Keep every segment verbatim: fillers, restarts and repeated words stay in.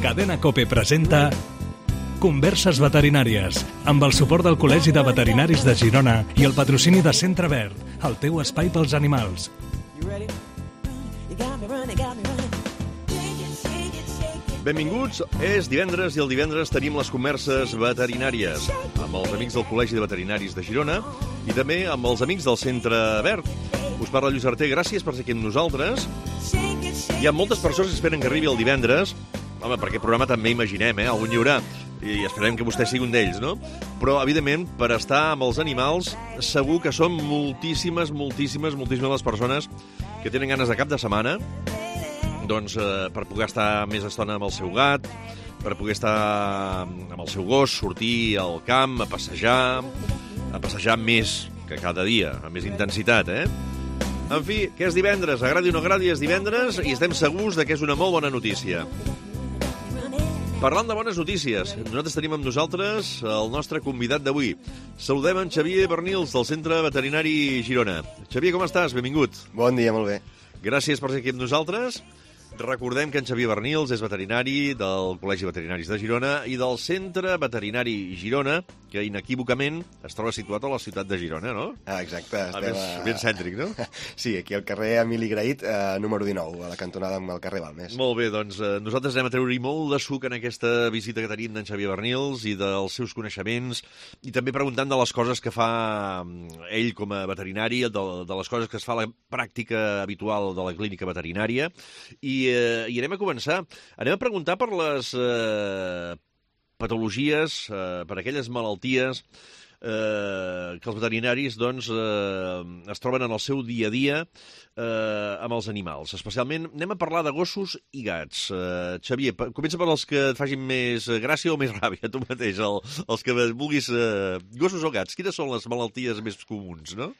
Cadena COPE presenta Converses veterinàries, amb el suport del Col·legi de Veterinaris de Girona i el patrocini de Centre Verd, el teu espai pels animals. Benvinguts, és divendres i el divendres tenim les converses veterinàries amb els amics del Col·legi de Veterinaris de Girona i també amb els amics del Centre Verd. Us parla Lluís Arter, gràcies per ser aquí amb nosaltres. Hi ha moltes persones que esperen que arribi el divendres. Home, per aquest programa també imaginem, eh? Algun hi haurà. I esperem que vostè sigui un d'ells, no? Però, evidentment, per estar amb els animals, segur que són moltíssimes, moltíssimes, moltíssimes les persones que tenen ganes de cap de setmana, doncs, eh, per poder estar més estona amb el seu gat, per poder estar amb el seu gos, sortir al camp, a passejar, a passejar més que cada dia, amb més intensitat, eh? En fi, que és divendres, agradi o no agradi, és divendres i estem segurs de que és una molt bona notícia. Parlant de bones notícies, nosaltres tenim amb nosaltres el nostre convidat d'avui. Saludem en Xavier Bernils, del Centre Veterinari Girona. Xavier, com estàs? Benvingut. Bon dia, molt bé. Gràcies per ser aquí amb nosaltres. Recordem que en Xavier Bernils és veterinari del Col·legi de Veterinaris de Girona i del Centre Veterinari Girona, que inequívocament es troba situat a la ciutat de Girona, no? Ah, exacte. A més, a... ben cèntric, no? Sí, aquí al carrer Emili Grahit, eh, número dinou, a la cantonada amb el carrer Balmes. Molt bé, doncs eh, nosaltres anem a treure-hi molt de suc en aquesta visita que tenim d'en Xavier Bernils i dels seus coneixements i també preguntant de les coses que fa ell com a veterinari, de, de les coses que es fa a la pràctica habitual de la clínica veterinària i I, eh, i anem a començar. Anem a preguntar per les eh, patologies, eh, per aquelles malalties eh, que els veterinaris doncs, eh, es troben en el seu dia a dia eh, amb els animals. Especialment anem a parlar de gossos i gats. Eh, Xavier, comença per els que et facin més gràcia o més ràbia, tu mateix, el, els que vulguis. Eh, gossos o gats, quines són les malalties més comuns, no?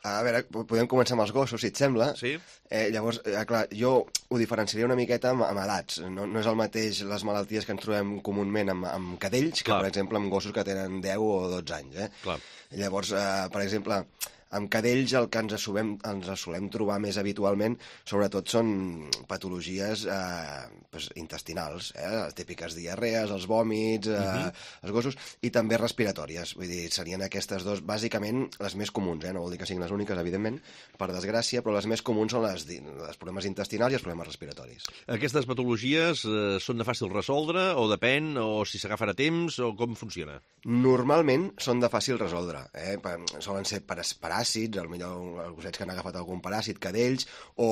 A veure, podem començar amb els gossos, si et sembla. Sí. Eh, llavors, eh, clar, jo ho diferenciaria una miqueta amb, amb edats. No, no és el mateix les malalties que ens trobem comúment amb, amb cadells, que, clar, per exemple, amb gossos que tenen deu o dotze anys. Eh? Clar. Llavors, eh, per exemple, amb cadells el que ens solem, ens solem trobar més habitualment, sobretot, són patologies eh, pues, intestinals, eh? Les típiques diarrees, els vòmits, eh, uh-huh. els gossos, i també respiratòries. Vull dir, serien aquestes dos, bàsicament, les més comuns, eh? No vol dir que siguin les úniques, evidentment, per desgràcia, però les més comuns són les, les problemes intestinals i els problemes respiratoris. Aquestes patologies eh, són de fàcil resoldre, o depèn, o si s'agafen a temps, o com funciona? Normalment són de fàcil resoldre. Eh? Solen ser per paràsits, potser els gossets que han agafat algun paràsit, cadells, o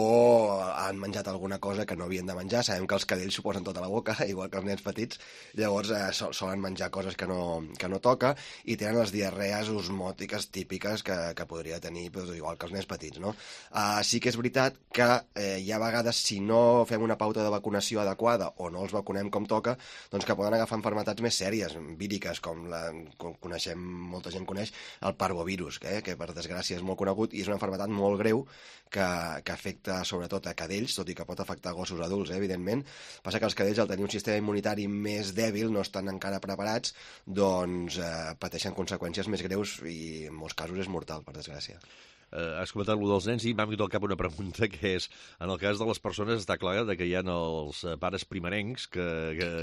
han menjat alguna cosa que no havien de menjar. Sabem que els cadells s'ho posen tota la boca, igual que els nens petits, llavors eh, solen menjar coses que no, que no toca i tenen les diarrees osmòtiques típiques que, que podria tenir doncs, igual que els nens petits, no? Uh, sí que és veritat que eh, hi ha vegades, si no fem una pauta de vacunació adequada o no els vacunem com toca, doncs que poden agafar malalties més sèries, víriques, com, la, com coneixem, molta gent coneix, el parvovirus, eh, que per desgràcia és molt conegut i és una malaltia molt greu que, que afecta sobretot a cadells, tot i que pot afectar gossos adults, eh, evidentment. Passa que els cadells, al tenir un sistema immunitari més dèbil, no estan encara preparats, doncs eh, pateixen conseqüències més greus i en molts casos és mortal, per desgràcia. Uh, has comentat allò dels nens i m'ha vingut al cap una pregunta que és, en el cas de les persones està clar que hi ha els pares primerencs que,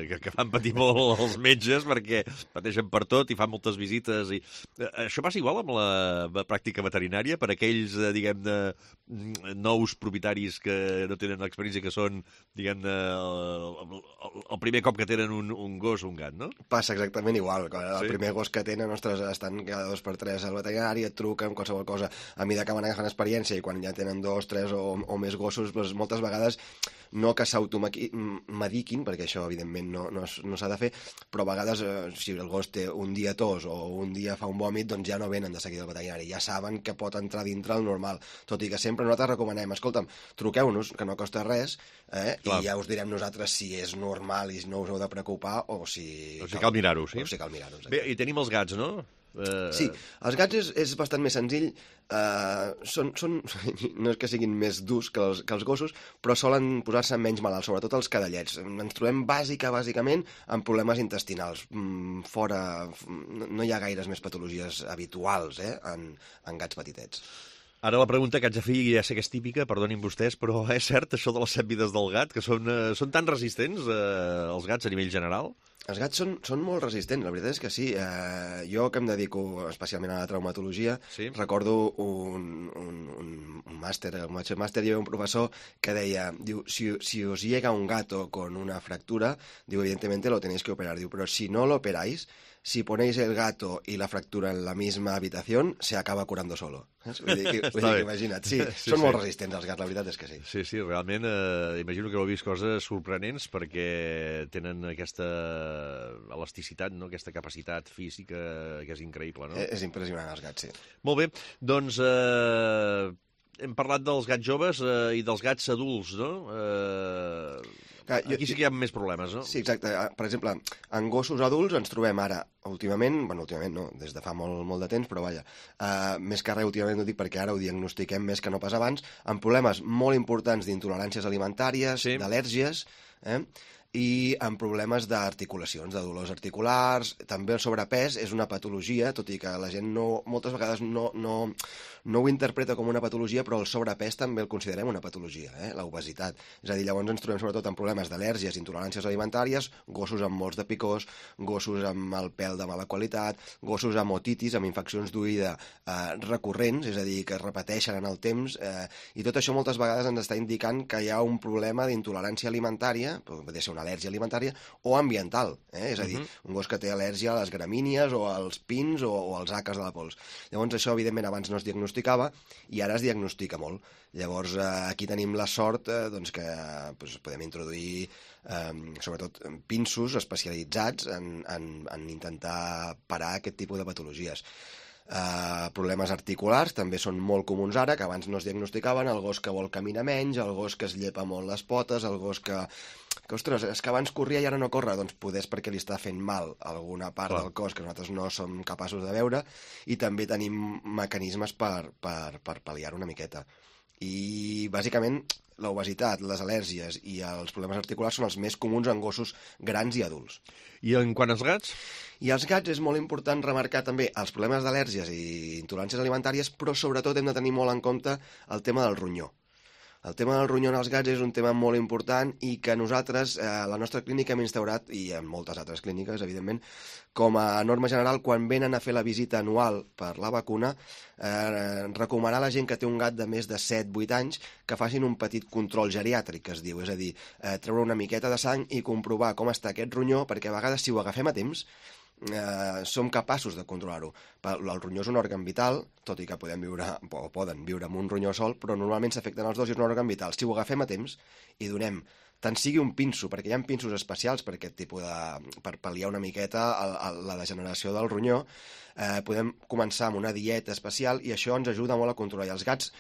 que, que fan patir molt els metges perquè pateixen per tot i fan moltes visites i... Uh, això passa igual amb la pràctica veterinària per aquells, uh, diguem-ne, nous propietaris que no tenen experiència, que són, diguem-ne, el, el, el primer cop que tenen un, un gos o un gat, no? Passa exactament igual. El sí? primer gos que tenen, ostres, estan cada dos per tres al veterinari, et truquen, qualsevol cosa. A mi de que van agafant experiència i quan ja tenen dos, tres o, o més gossos, doncs moltes vegades no que s'automediquin, perquè això evidentment no, no, no s'ha de fer, però a vegades eh, si el gos té un dia tos o un dia fa un vòmit, doncs ja no venen de seguida al veterinari, ja saben que pot entrar dintre el normal, tot i que sempre nosaltres recomanem, escolta'm, truqueu-nos, que no costa res, eh, i ja us direm nosaltres si és normal i no us heu de preocupar o si... O si cal mirar-ho, sí? O si cal mirar-ho. Bé, i tenim els gats, no? Uh... Sí, els gats és, és bastant més senzill, uh, són, són, no és que siguin més durs que els, que els gossos, però solen posar-se menys malalts, sobretot els cadellets. Ens trobem bàsica, bàsicament amb problemes intestinals. Mm, fora, no hi ha gaires més patologies habituals eh, en, en gats petitets. Ara la pregunta que haig de fer, ja sé que és típica, perdonin vostès, però és cert això de les set vides del gat, que són, eh, són tan resistents, eh, els gats a nivell general? Els gats són, són molt resistents, la veritat és que sí. Eh, jo, que em dedico especialment a la traumatologia, sí. recordo un, un, un, un màster, un màster, hi havia un professor que deia, diu, si, si os llega un gato con una fractura, diu, evidentemente lo tenéis que operar, diu, pero si no lo operáis, si ponéis el gato y la fractura en la misma habitación, se acaba curando solo. Vull dir, que, vull dir que imagina't, sí, sí són sí. molt resistents els gats, la veritat és que sí. Sí, sí, realment, eh, imagino que heu vist coses sorprenents perquè tenen aquesta elasticitat, no? Aquesta capacitat física que és increïble, no? És impressionant, els gats, sí. Molt bé, doncs eh, hem parlat dels gats joves eh, i dels gats adults, no? Eh... Clar, jo, Aquí sí que hi ha més problemes, no? Sí, exacte. Per exemple, en gossos adults ens trobem ara, últimament, bueno, últimament no, des de fa molt, molt de temps, però vaja, uh, més que res últimament ho dic perquè ara ho diagnostiquem més que no pas abans, amb problemes molt importants d'intoleràncies alimentàries, sí. d'al·lèrgies, eh? i amb problemes d'articulacions, de dolors articulars. També el sobrepès és una patologia, tot i que la gent no, moltes vegades no, no, no ho interpreta com una patologia, però el sobrepès també el considerem una patologia, eh? l'obesitat. És a dir, llavors ens trobem sobretot amb problemes d'al·lèrgies, intoleràncies alimentàries, gossos amb molts de picors, gossos amb el pèl de mala qualitat, gossos amb otitis, amb infeccions d'oïda eh, recurrents, és a dir, que es repeteixen en el temps, eh, i tot això moltes vegades ens està indicant que hi ha un problema d'intolerància alimentària, pot ser una al·lèrgia alimentària o ambiental, eh? és a dir, uh-huh. un gos que té al·lèrgia a les gramínies o als pins o, o als àcars de la pols. Llavors això, evidentment, abans no es diagnosticava i ara es diagnostica molt. Llavors eh, aquí tenim la sort eh, doncs que doncs, podem introduir eh, sobretot pinsos especialitzats en, en, en intentar parar aquest tipus de patologies. Uh, problemes articulars també són molt comuns ara, que abans no es diagnosticaven, el gos que vol caminar menys, el gos que es llepa molt les potes, el gos que... que, ostres, és que abans corria i ara no corre, doncs poder és perquè li està fent mal alguna part Clar. del cos que nosaltres no som capaços de veure, i també tenim mecanismes per, per, per pal·liar una miqueta. I, bàsicament, l'obesitat, les al·lèrgies i els problemes articulars són els més comuns en gossos grans i adults. I en quant als gats? I als gats és molt important remarcar també els problemes d'al·lèrgies i intoleràncies alimentàries, però sobretot hem de tenir molt en compte el tema del ronyó. El tema del ronyó en els gats és un tema molt important i que nosaltres, eh, a la nostra clínica, hem instaurat, i en moltes altres clíniques, evidentment, com a norma general, quan venen a fer la visita anual per la vacuna, eh, recomanar a la gent que té un gat de més de set vuit anys que facin un petit control geriàtric, que es diu, és a dir, eh, treure una miqueta de sang i comprovar com està aquest ronyó, perquè a vegades, si ho agafem a temps, eh, som capaços de controlar-ho. El ronyó és un òrgan vital, tot i que podem viure, o poden viure amb un ronyó sol, però normalment s'afecten els dos i és un òrgan vital. Si ho agafem a temps i donem tant sigui un pinso, perquè hi ha pinsos especials per aquest tipus de... per pal·liar una miqueta el, el, la degeneració del ronyó, eh, podem començar amb una dieta especial i això ens ajuda molt a controlar. I els gats,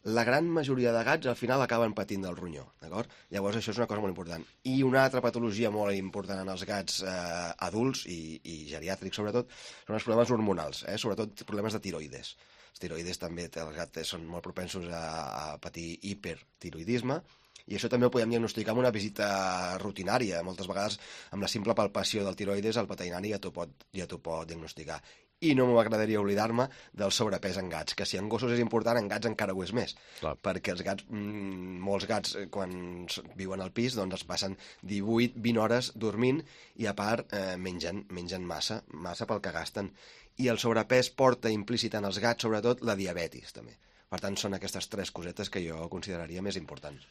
la gran majoria de gats al final acaben patint del ronyó, d'acord? Llavors això és una cosa molt important. I una altra patologia molt important en els gats eh, adults i, i geriàtrics sobretot són els problemes hormonals, eh? Sobretot problemes de tiroides. Els tiroides també, els gats són molt propensos a, a patir hipertiroidisme, i això també ho podem diagnosticar amb una visita rutinària. Moltes vegades, amb la simple palpació del tiroides, el veterinari ja t'ho pot, ja t'ho pot diagnosticar. I no m'agradaria oblidar-me del sobrepès en gats, que si en gossos és important, en gats encara ho és més. Clar. Perquè els gats, mmm, molts gats, quan viuen al pis, doncs es passen divuit vint hores dormint i, a part, eh, mengen, mengen massa, massa pel que gasten. I el sobrepès porta implícit en els gats, sobretot, la diabetis, també. Per tant, són aquestes tres cosetes que jo consideraria més importants.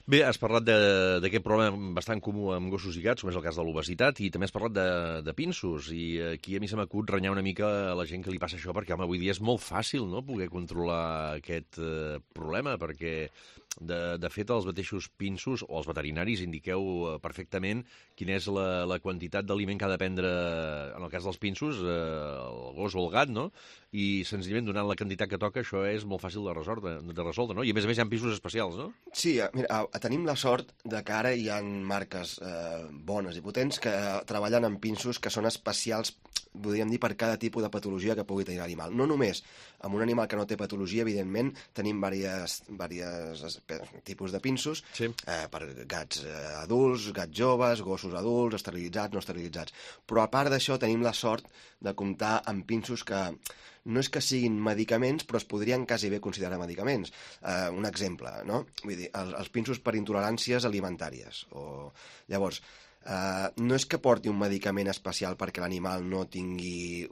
Bé, has parlat d'aquest problema bastant comú amb gossos i gats, com és el cas de l'obesitat, i també has parlat de, de pinsos, i aquí a mi se m'acut renyar una mica a la gent que li passa això, perquè, home, avui dia és molt fàcil, no?, poder controlar aquest eh, problema, perquè, de, de fet, els mateixos pinsos, o els veterinaris, indiqueu perfectament quina és la, la quantitat d'aliment que ha de prendre, en el cas dels pinsos, eh, el gos o el gat, no?, i senzillament donant la quantitat que toca, això és molt fàcil de resoldre, de resoldre, no? I a més a més hi ha pinsos especials, no? Sí, mira, tenim la sort de que ara hi ha marques eh, bones i potents que treballen amb pinsos que són especials, podríem dir, per cada tipus de patologia que pugui tenir l'animal. No només amb un animal que no té patologia, evidentment, tenim diversos tipus de pinsos, sí. eh, per gats eh, adults, gats joves, gossos adults, esterilitzats, no esterilitzats. Però a part d'això tenim la sort de comptar amb pinsos que no és que siguin medicaments, però es podrien quasi bé considerar medicaments. Uh, un exemple, no? Vull dir, els, els pinços per intoleràncies alimentàries. O... Llavors, Uh, no és que porti un medicament especial perquè l'animal no tingui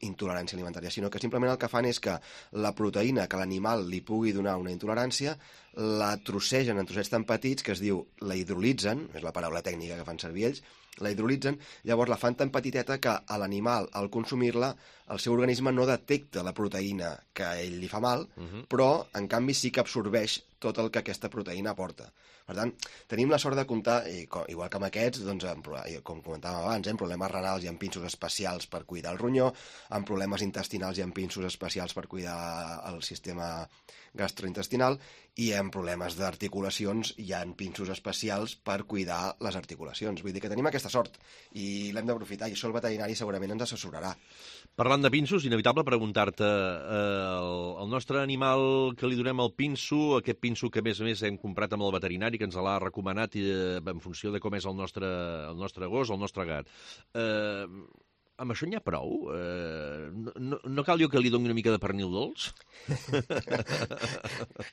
intolerància alimentària, sinó que simplement el que fan és que la proteïna que l'animal li pugui donar una intolerància la trossegen en trossets tan petits que es diu la hidrolitzen, és la paraula tècnica que fan servir ells, la hidrolitzen, llavors la fan tan petiteta que a l'animal, al consumir-la, el seu organisme no detecta la proteïna que a ell li fa mal, uh-huh. però, en canvi, sí que absorbeix tot el que aquesta proteïna aporta. Per tant, tenim la sort de comptar, i com, igual que amb aquests, doncs, amb, com comentàvem abans, eh, amb problemes renals i amb pinços especials per cuidar el ronyó, amb problemes intestinals i amb pinços especials per cuidar el sistema gastrointestinal, i amb problemes d'articulacions hi ha pinços especials per cuidar les articulacions. Vull dir que tenim aquesta sort i l'hem d'aprofitar, i això el veterinari segurament ens assessorarà. Parlant de pinços, inevitable preguntar-te, eh, el, el nostre animal que li donem el pinço, aquest pinço que a més a més hem comprat amb el veterinari, que ens l'ha recomanat eh, en funció de com és el nostre, el nostre gos, el nostre gat, eh, amb això n'hi ha prou? Eh, no, no cal jo que li doni una mica de pernil dolç?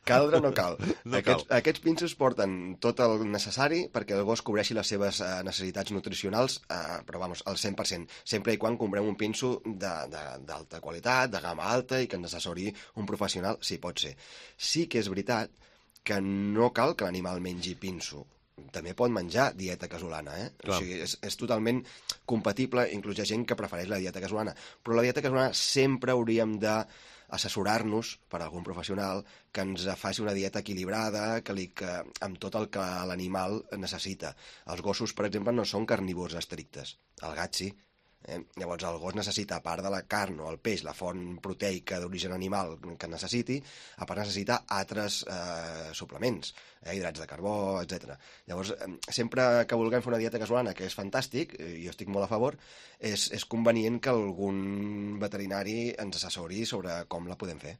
Caldre no cal. No aquests, cal. Aquests pinços porten tot el necessari perquè el gos cobreixi les seves uh, necessitats nutricionals, uh, però vamos, al cent per cent, sempre i quan comprem un pinso d'alta qualitat, de gamma alta, i que ens assessori un professional, si pot ser. Sí que és veritat que no cal que l'animal mengi pinso. També pot menjar dieta casolana, eh? O sigui, és, és totalment compatible, inclús hi ha gent que prefereix la dieta casolana, però la dieta casolana sempre hauríem d'assessorar-nos per algun professional que ens faci una dieta equilibrada, que li, que, amb tot el que l'animal necessita. Els gossos, per exemple, no són carnívors estrictes, el gat sí. Eh? Llavors el gos necessita, a part de la carn o el peix, la font proteica d'origen animal que necessiti, a part necessita altres eh, suplements, eh, hidrats de carbó, etcètera. Llavors, eh, sempre que vulguem fer una dieta casolana, que és fantàstic, i jo estic molt a favor, és, és convenient que algun veterinari ens assessori sobre com la podem fer.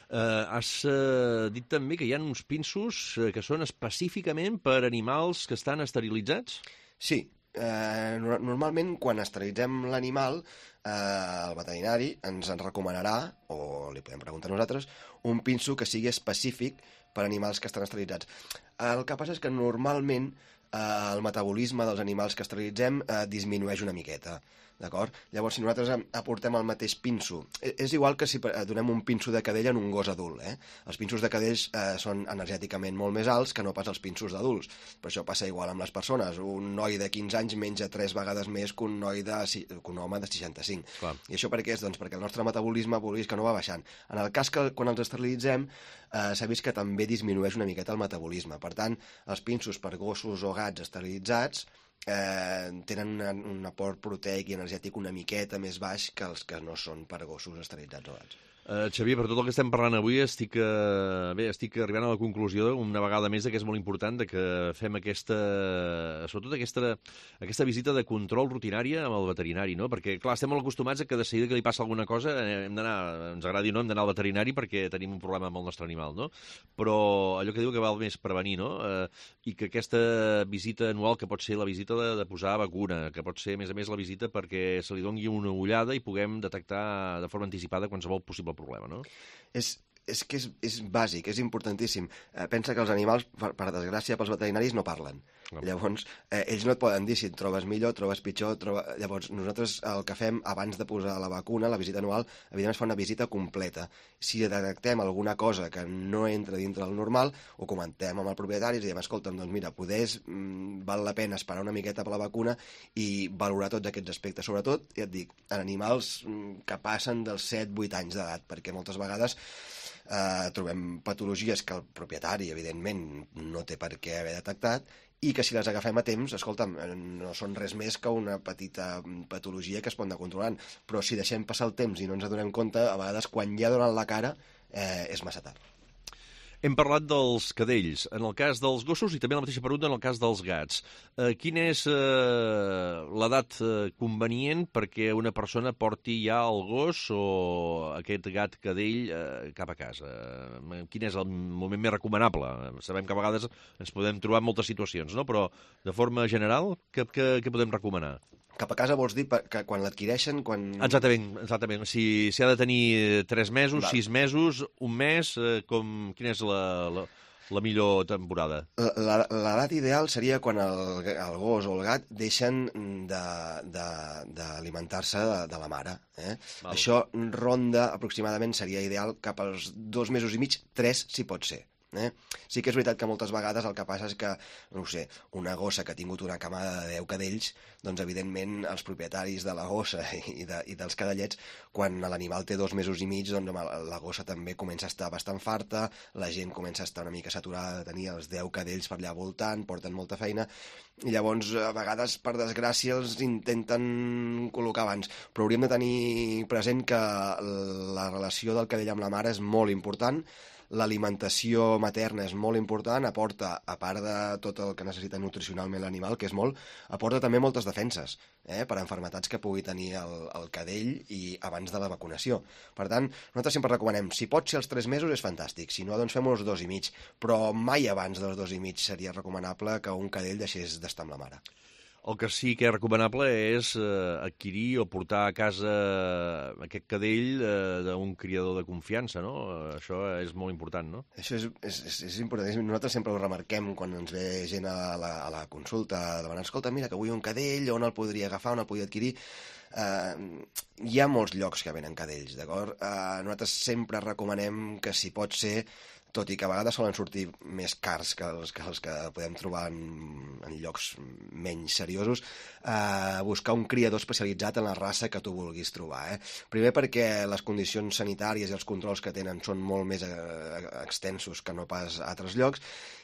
Uh, has uh, dit també que hi ha uns pinços uh, que són específicament per animals que estan esterilitzats? Sí. Eh, normalment quan esterilitzem l'animal eh, el veterinari ens en recomanarà, o li podem preguntar a nosaltres, un pinso que sigui específic per animals que estan esterilitzats. El que passa és que normalment eh, el metabolisme dels animals que esterilitzem eh, disminueix una miqueta, d'acord? Llavors, si nosaltres aportem el mateix pinso, és igual que si donem un pinso de cadell en un gos adult, eh? Els pinsos de cadells eh, són energèticament molt més alts que no pas els pinsos d'adults. Per això passa igual amb les persones. Un noi de quinze anys menja tres vegades més que un, noi de, que un home de seixanta-cinc. Clar. I això per què és? Doncs perquè el nostre metabolisme, vulguis que no va baixant. En el cas que quan els esterilitzem, eh, s'ha vist que també disminueix una miqueta el metabolisme. Per tant, els pinsos per gossos o gats esterilitzats Eh, tenen una, un aport proteic i energètic una miqueta més baix que els que no són per gossos esterilitzats o gats. Uh, Xavier, per tot el que estem parlant avui estic, uh, bé, estic arribant a la conclusió una vegada més que és molt important de que fem aquesta, sobretot aquesta, aquesta visita de control rutinària amb el veterinari, no? Perquè, clar, estem molt acostumats a que de seguida que li passa alguna cosa hem d'anar, ens agradi o no, hem d'anar al veterinari perquè tenim un problema amb el nostre animal, no? Però allò que diu que val més prevenir, no? Uh, I que aquesta visita anual, que pot ser la visita de, de posar vacuna, que pot ser, a més a més, la visita perquè se li doni una ullada i puguem detectar de forma anticipada qualsevol possible problema, no? És, és que és, és bàsic, és importantíssim. Eh, pensa que els animals, per, per desgràcia, pels veterinaris no parlen. No. Llavors, eh, ells no et poden dir si et trobes millor, trobes pitjor... Troba... Llavors, nosaltres el que fem abans de posar la vacuna, la visita anual, evidentment es fa una visita completa. Si detectem alguna cosa que no entra dintre del normal, ho comentem amb el propietari i diem, escolta'm, doncs mira, poders, mm, val la pena esperar una miqueta per la vacuna i valorar tots aquests aspectes. Sobretot, ja et dic, en animals mm, que passen dels set vuit anys d'edat, perquè moltes vegades eh, trobem patologies que el propietari, evidentment, no té per què haver detectat i que si les agafem a temps, escolta'm, no són res més que una petita patologia que es pot anar controlant, però si deixem passar el temps i no ens adonem compte, a vegades quan ja donen la cara eh, és massa tard. Hem parlat dels cadells, en el cas dels gossos i també la mateixa pregunta en el cas dels gats. Eh, quina és eh, l'edat eh, convenient perquè una persona porti ja el gos o aquest gat cadell eh, cap a casa? Eh, quin és el moment més recomanable? Sabem que a vegades ens podem trobar en moltes situacions, no? Però de forma general, què, què, què podem recomanar? Cap a casa vols dir que quan l'adquireixen... Quan... Exactament, exactament. Si, si ha de tenir tres mesos, Val. sis mesos, un mes, eh, com, quina és la, la, la millor temporada? L'edat ideal seria quan el, el gos o el gat deixen d'alimentar-se de, de, de, de la mare. Eh? Això ronda aproximadament, seria ideal, cap als dos mesos i mig, tres si pot ser. Eh? Sí que és veritat que moltes vegades el que passa és que, no ho sé, una gossa que ha tingut una camada de deu cadells, doncs evidentment els propietaris de la gossa i, de, i dels cadellets, quan l'animal té dos mesos i mig, doncs la gossa també comença a estar bastant farta, la gent comença a estar una mica saturada de tenir els deu cadells per allà voltant, porten molta feina, i llavors a vegades, per desgràcia, els intenten col·locar abans. Però hauríem de tenir present que la relació del cadell amb la mare és molt important. L'alimentació materna és molt important, aporta, a part de tot el que necessita nutricionalment l'animal, que és molt, aporta també moltes defenses eh, per a malalties que pugui tenir el, el cadell i abans de la vacunació. Per tant, nosaltres sempre recomanem, si pot ser als tres mesos és fantàstic, si no, doncs fem els dos i mig, però mai abans dels dos i mig seria recomanable que un cadell deixés d'estar amb la mare. El que sí que és recomanable és eh, adquirir o portar a casa aquest cadell eh, d'un criador de confiança, no? Això és molt important, no? Això és, és, és, és important. Nosaltres sempre ho remarquem quan ens ve gent a la, a la consulta demanant, escolta, mira, que vull un cadell, on el podria agafar, on el podria adquirir? Uh, hi ha molts llocs que venen cadells, d'acord? Uh, nosaltres sempre recomanem que, si pot ser, tot i que a vegades solen sortir més cars que els que, els que podem trobar en, en llocs menys seriosos, eh, buscar un criador especialitzat en la raça que tu vulguis trobar. Eh? Primer perquè les condicions sanitàries i els controls que tenen són molt més eh, extensos que no pas a altres llocs,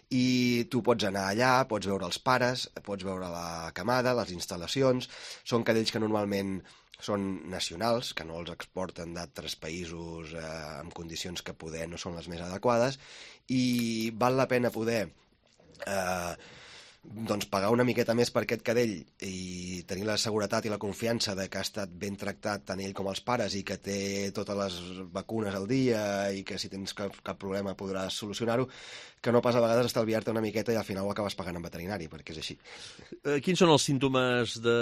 i tu pots anar allà, pots veure els pares, pots veure la camada, les instal·lacions. Són cadells que normalment són nacionals, que no els exporten d'altres països eh, en condicions que poder no són les més adequades, i val la pena poder eh, doncs pagar una miqueta més per aquest cadell i tenir la seguretat i la confiança de que ha estat ben tractat tant ell com els pares i que té totes les vacunes al dia i que si tens cap, cap problema podràs solucionar-ho, que no pas a vegades estalviar-te una miqueta i al final ho acabes pagant en veterinari, perquè és així. Eh, quins són els símptomes de,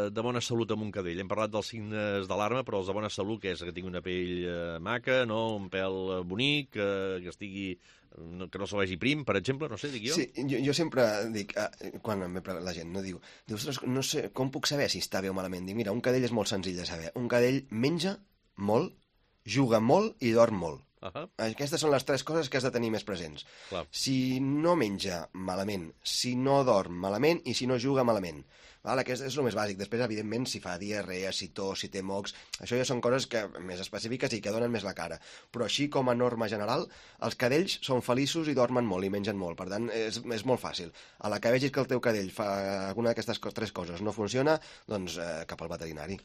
de bona salut amb un cadell? Hem parlat dels signes d'alarma, però els de bona salut, que és que tingui una pell eh, maca, no? Un pèl bonic, eh, que estigui... No, que no se vegi prim, per exemple, no sé, dic jo. Sí, jo, jo sempre dic, eh, quan la gent no diu, diu, ostres, no sé, com puc saber si està bé o malament? Dic, mira, un cadell és molt senzill de saber. Un cadell menja molt, juga molt i dorm molt. Uh -huh. Aquestes són les tres coses que has de tenir més presents. Clar. Si no menja malament, si no dorm malament i si no juga malament. Val? Aquest és el més bàsic. Després, evidentment, si fa diarrea, si tos, si té mocs, això ja són coses que, més específiques i que donen més la cara. Però així, com a norma general, els cadells són feliços i dormen molt i mengen molt. Per tant, és, és molt fàcil. A la que vegis que el teu cadell fa alguna d'aquestes tres coses no funciona, doncs eh, cap al veterinari.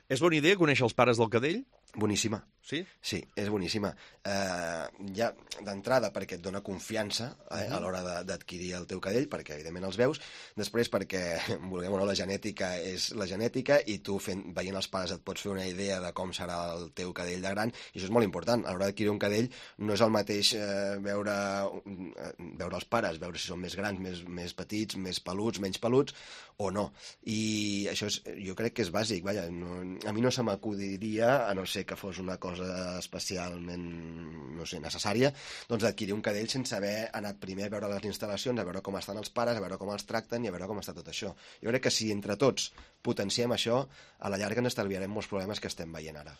És bona idea conèixer els pares del cadell? Boníssima. Sí? Sí, és boníssima. Eh, ja d'entrada perquè et dona confiança eh, a l'hora d'adquirir el teu cadell, perquè evidentment els veus. Després perquè, vulguem o no, la genètica és la genètica i tu fent, veient els pares et pots fer una idea de com serà el teu cadell de gran, i això és molt important. A l'hora d'adquirir un cadell no és el mateix eh, veure, eh, veure els pares, veure si són més grans, més, més petits, més peluts, menys peluts, o no. I això és, jo crec que és bàsic. Vaja, no, a mi no se m'acudiria, a no ser que fos una cosa especialment, no sé, necessària, doncs d'adquirir un cadell sense haver anat primer a veure les instal·lacions, a veure com estan els pares, a veure com els tracten i a veure com està tot això. Jo crec que si entre tots potenciem això, a la llarga ens estalviarem molts problemes que estem veient ara.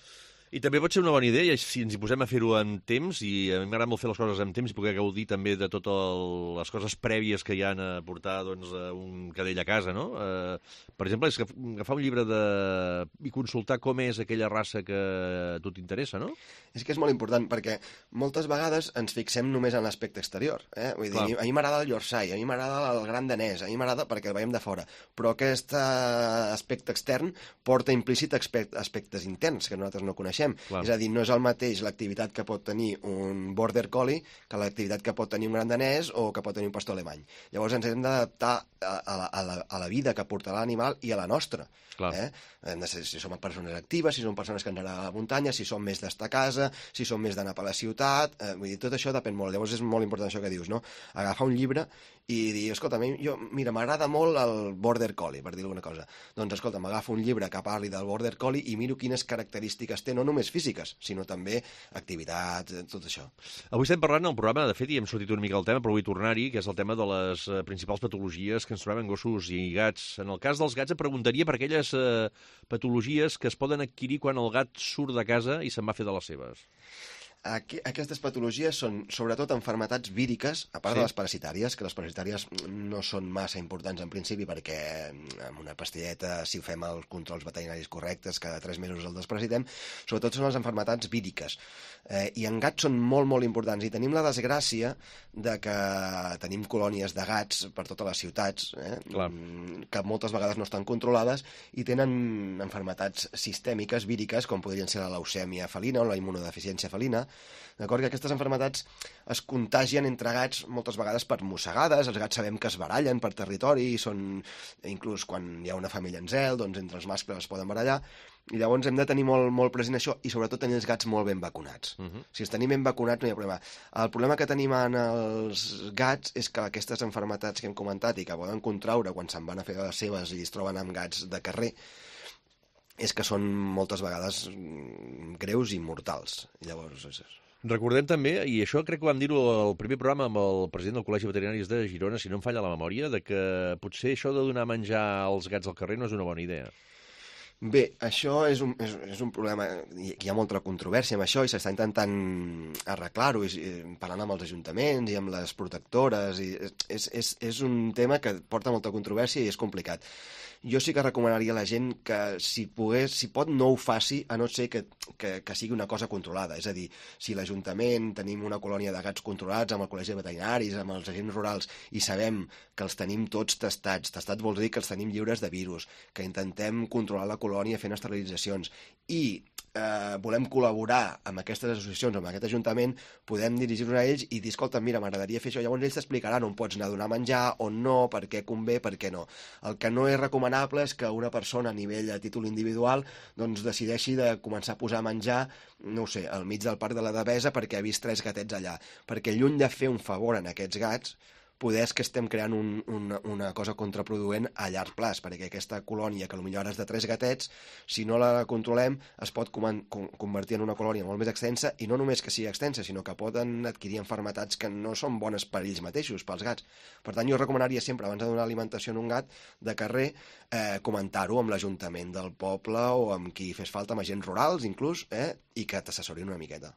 I també pot ser una bona idea, si ens hi posem a fer-ho en temps, i a mi m'agrada molt fer les coses en temps i poder gaudir també de totes les coses prèvies que hi ha a portar doncs, un cadell a casa, no? Eh, per exemple, és agafar un llibre de... i consultar com és aquella raça que a tu t'interessa, no? És que és molt important, perquè moltes vegades ens fixem només en l'aspecte exterior. Eh? Vull dir, a mi m'agrada el Yorkshire, a mi m'agrada el Gran Danès, a mi m'agrada perquè el veiem de fora, però aquest aspecte extern porta implícit aspectes interns que nosaltres no coneixem. Clar. És a dir, no és el mateix l'activitat que pot tenir un Border Collie que l'activitat que pot tenir un Gran Danès o que pot tenir un pastor alemany. Llavors ens hem d'adaptar a, a, a, la, a la vida que portarà l'animal i a la nostra. Eh? Hem de ser, si som persones actives, si som persones que han d'anar a la muntanya, si som més d'estar a casa, si som més d'anar per la ciutat, eh, vull dir, tot això depèn molt. Llavors és molt important això que dius, no? Agafar un llibre i dir, escolta, a mi, jo, mira, m'agrada molt el Border Collie, per dir alguna cosa. Doncs, escolta, m'agafo un llibre que parli del Border Collie i miro quines característiques té, no només físiques, sinó també activitats, tot això. Avui estem parlant al programa, de fet, i hem sortit una mica el tema, però vull tornar-hi, que és el tema de les eh, principals patologies que ens trobem en gossos i gats. En el cas dels gats, et preguntaria per aquelles eh, patologies que es poden adquirir quan el gat surt de casa i se'n va fer de les seves. Aquí, aquestes patologies són sobretot malalties víriques, a part sí. de les parasitàries, que les parasitàries no són massa importants en principi perquè amb una pastilleta, si fem els controls veterinaris correctes, cada tres mesos el desparasitem, sobretot són les malalties víriques. Eh, I en gats són molt, molt importants. I tenim la desgràcia de que tenim colònies de gats per totes les ciutats, eh, que moltes vegades no estan controlades i tenen malalties sistèmiques víriques, com podrien ser la leucèmia felina o la immunodeficiència felina. D'acord? Que aquestes malalties es contagien entre gats moltes vegades per mossegades, els gats sabem que es barallen per territori, i són, inclús quan hi ha una família en zel, doncs entre els mascles es poden barallar, i llavors hem de tenir molt, molt present això, i sobretot tenir els gats molt ben vacunats. Uh-huh. Si els tenim ben vacunats no hi ha problema. El problema que tenim en els gats és que aquestes malalties que hem comentat i que poden contraure quan se'n van a fer les seves i es troben amb gats de carrer, és que són moltes vegades greus i mortals. Llavors, és... Recordem també, i això crec que vam dir-ho al primer programa amb el president del Col·legi de Veterinaris de Girona, si no em falla la memòria, de que potser això de donar menjar als gats al carrer no és una bona idea. Bé, això és un, és, és un problema, hi ha molta controvèrsia amb això i s'està intentant arreglar-ho, parlant amb els ajuntaments i amb les protectores, i és, és, és un tema que porta molta controvèrsia i és complicat. Jo sí que recomanaria a la gent que si pogués, si pot, no ho faci, a no ser que, que, que sigui una cosa controlada. És a dir, si l'Ajuntament tenim una colònia de gats controlats amb el Col·legi de Veterinaris, amb els agents rurals, i sabem que els tenim tots testats, testats vol dir que els tenim lliures de virus, que intentem controlar la colònia fent esterilitzacions, i eh, volem col·laborar amb aquestes associacions, amb aquest Ajuntament, podem dirigir-nos a ells i dir, escolta, mira, m'agradaria fer això. Llavors ells t'explicaran on pots anar a donar menjar, on no, per què convé, per què no. El que no és recomanable és que una persona a nivell a títol individual doncs decideixi de començar a posar a menjar, no ho sé, al mig del parc de la Devesa perquè ha vist tres gatets allà. Perquè lluny de fer un favor en aquests gats, poder és que estem creant un, una, una cosa contraproduent a llarg plaç, perquè aquesta colònia, que potser ara és de tres gatets, si no la controlem, es pot com, com, convertir en una colònia molt més extensa, i no només que sigui extensa, sinó que poden adquirir malalties que no són bones per ells mateixos, pels gats. Per tant, jo recomanaria sempre, abans de donar alimentació a un gat de carrer, eh, comentar-ho amb l'Ajuntament del poble o amb qui fes falta, amb agents rurals, inclús, eh, i que t'assessorin una miqueta.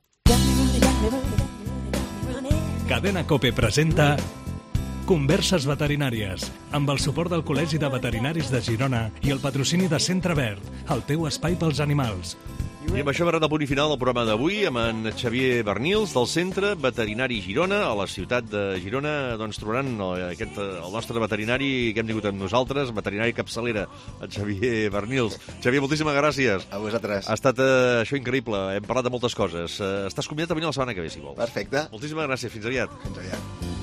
Cadena COPE presenta Converses veterinàries, amb el suport del Col·legi de Veterinaris de Girona i el patrocini de Centre Verd, el teu espai pels animals. I amb això hem arribat al punt i final del programa d'avui, amb en Xavier Bernils, del Centre Veterinari Girona, a la ciutat de Girona. Doncs trobaran aquest, el nostre veterinari que hem tingut amb nosaltres, veterinari capçalera, en Xavier Bernils. Xavier, moltíssimes gràcies. A vosaltres. Ha estat eh, això increïble, hem parlat de moltes coses. Eh, estàs convidat a venir la setmana que ve, si vols. Perfecte. Moltíssimes gràcies, fins aviat. Fins aviat.